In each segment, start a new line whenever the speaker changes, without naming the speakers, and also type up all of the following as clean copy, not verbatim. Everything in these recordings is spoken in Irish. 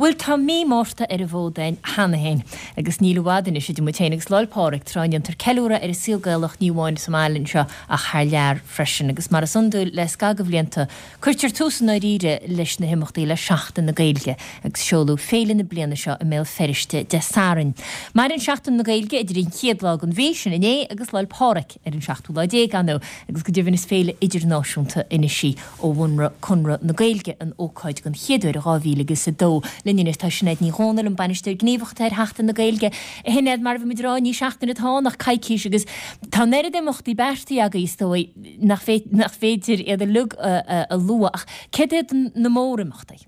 Bhuel, tá mí Márta ar an bhfód againn cheana féin, agus níl i bhfad anois idir muid féin agus Lá'l Pádraig, tráth a ndéantar ceiliúradh ar an saol Gaelach ní amháin sa mbaile anseo ach thar lear freisin. Agus mar is iondúil le scagadh de bhlianta, cuirtear tús i ndáiríre leis na himeachtaí le Seachtain na Gaeilge, agus seoladh féile na bliana seo i mBéal Feirste Dé Sathairn. Maireann Seachtain na Gaeilge idir an chéad lá den mhí, sin inné, agus Lá'l Pádraig ar an seachtú lá déag, ar ndóigh, agus go deimhin is féile idirnáisiúnta anois í ó bhunaigh Conradh na Gaeilge an ócáid den chéad uair i 2002. Linn anois tá Sinéad Ní Dhomhnaill, an Bainisteoir Gníomhach atá ar Sheachtain na Gaeilge. A Shinéad, mar a bhí muid ag rá, ní seachtain atá ann ach coicís agus tá an oiread imeachtaí beartaithe agaibh is dóigh nach féidir iad uilig a lua ach céard iad na mórimeachtaí?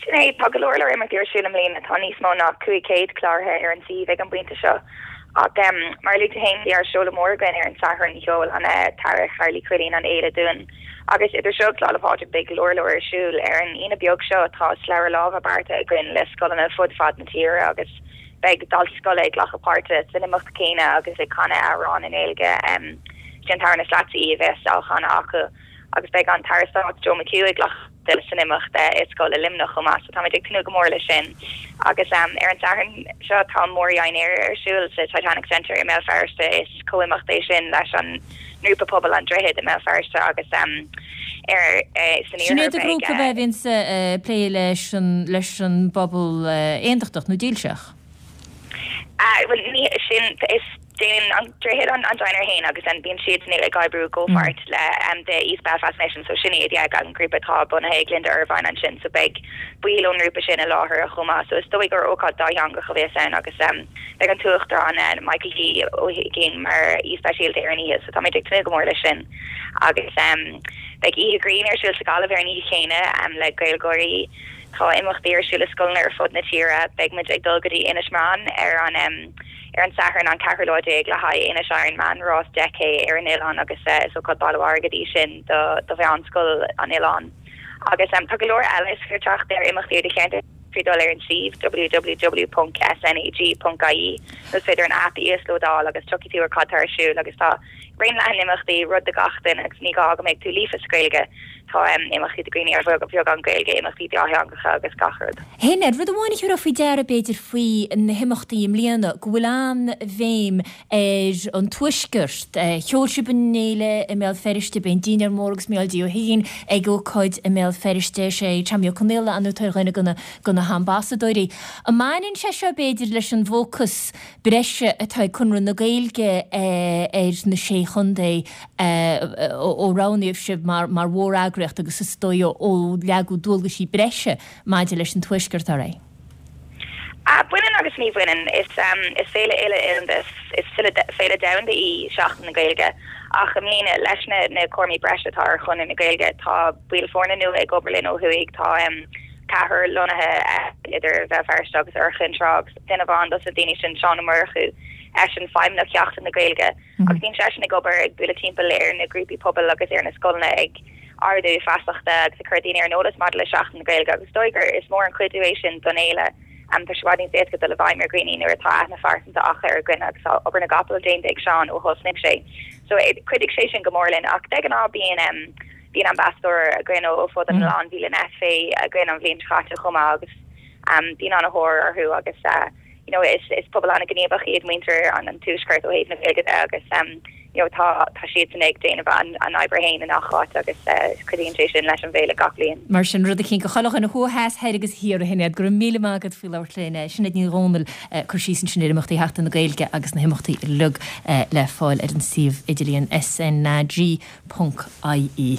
Sin é, tá go leor leor imeachtaí ar siúl i mbliana, tá níos mó ná 500 cláraithe ar an suíomh ag an bpointe seo. Ach mar a luaigh tú féin, bhí ár seoladh mór againn ar an Satharn, sheol an tAire Carl Uí Chuilín an fhéile dúinn. Agus idir seo agus Lá 'le Pádraig beidh go leor leor ar siúl. Ar an Aoine beag seo tá slabhra láimhe beartaithe againn le scoileanna fud fad na tíre agus beidh daltaí scoile ag glacadh páirte san imeacht céanna agus ag canadh amhrán i nGaeilge. Sé an t-amhrán Is Leatsa Í a bheas á chanadh acu agus beidh an tAire Stáit Joe McHugh ag glacadh páirte san imeacht i scoil i Luimneach chomh maith, so táimid ag tnúth go mór leis sin. Agus ar an Satharn seo tá mórdhinnéar ar siúl sa Titanic Centre i mBéal Feirste. Is comhimeacht é sin leis an ngrúpa pobail An Droichead i mBéal Feirste agus ar
san Sin iad an grúpa a bhíonns ag plé leis an leis an bpobal aontachtach nó dílseach?
Bhuel ní sin is Déanann An Droichead an dinnéar féin agus then bíonn siadsan ag oibriú i gcomhpháirt le The East Belfast Mission so sin iad yeah an grúpa atá bunaithe ag Linda Ervine ansin so beidh baill ón ngrúpa sin i láthair chomh maith so is dóigh gur ócáid dátheangach a bheas ann agus beidh an tUachtarán Michael D Ó hUiginn mar aoi speisialta ar an oíche so táimid ag tnúth go mór leis sin agus beidh oíche grinn ar siúl sa Ghaillimh ar an oíche chéanna le Gaeilgeoirí Tá imeachtaí ar siúl i scoileanna ar fud na tíre. Beidh muid ag dul go dtí Inis Meáin ar an ar an Satharn an ceathrú lá déag le haghaidh Inis Iron Man, rás 10K ar an oileán agus is ócáid bailiú airgid í sin do do mheánscoil an oileáin. Agus tá go leor eile, is féidir teacht ar imeachtaí i do cheantar trí dul ar an suíomh www.snag.ie nó is féidir an aip a íoslódáil agus tiocfaidh tú ar cad tá ar siúl agus tá raon leathan imeachtaí, rud do gach duine agus ní gá go mbeidh tú líofa sa Ghaeilge. Tá imeachtaí do dhaoine ar bheagán Gaeilge, imeachtaí dátheangacha agus gach rud.
Shinéad, rud amháin a thabharfá faoi deara, b'fhéidir, faoi na himeachtaí i mbliana, go bhfuil an-bhéim ar an Tuaisceart. Sheol sibh an fhéile i mBéal Feirste, beidh an dinnéar mór agus Mícheál D. Ó hUiginn ag ócáid i mBéal Feirste, is é Tommy Ó Conaola an atá ar dhuine de na hambasadóirí. An mbaineann sé seo, b'fhéidir, leis an bhfócas breise atá ag Conradh na Gaeilge ar na Sé Chontae ó roghnaíodh sibh mar mhóreagraíocht agus is dóigh ó leagadh dualgaisí breise maidir leis an Tuaisceart oraibh?
Baineann agus ní bhaineann. Is féile uile-oileánda, is féile domhanda í Seachtain na Gaeilge ach i mbliana, leis na cúraimí breise atá ar Chonradh na Gaeilge, tá baill foirne nua ag obair linn ó thuaidh, tá ceathrar lonnaithe idir Bhéal Feirste agus Iorras Athach agus duine amháin dos na daoine sin, Seán Ó Murchú, eisean feidhmeannach Sheachtain na Gaeilge. Agus bíonn seisean ag obair, ag bualadh timpeall ar na grúpaí pobail agus ar na scoileanna ag ardú feasachta agus ag cur daoine ar an eolas maidir le Seachtain na Gaeilge agus is dóigh gur is mór an cuidiú é sin don fhéile. Tá sé i bhfad níos éasca dul i bhfeidhm ar dhaoine nuair atá aithne phearsanta acu ar dhuine agus tá obair na gcapall déanta ag Seán ó thosnaigh sé. So chuidigh sé sin go mór linn ach de ghnáth bíonn bíonn ambasadóir againn ó fud an oileáin, bhí Lynette Fay againn an bhliain seo caite chomh maith agus bíonn an-thóir orthu agus you know is is pobal an-ghníomhach iad muintir an an tuaiscirt ó thaobh na Gaeilge de agus you know tá tá siadsan ag déanamh an an obair féin i ngach áit agus cuidíonn sé sin leis an bhféile gach bliain.
Mar sin, rud eicínt do chuile dhuine thuaidh, theas, thoir agus thiar a Shinéad. Go raibh míle maith agat faoi labhairt linn. Sinéad Ní Dhomhnaill ag cur síos ansin ar imeachtaí Sheachtain na Gaeilge agus na himeachtaí uilig le fáil ar an suíomh idirlíon SNAG ponc IE.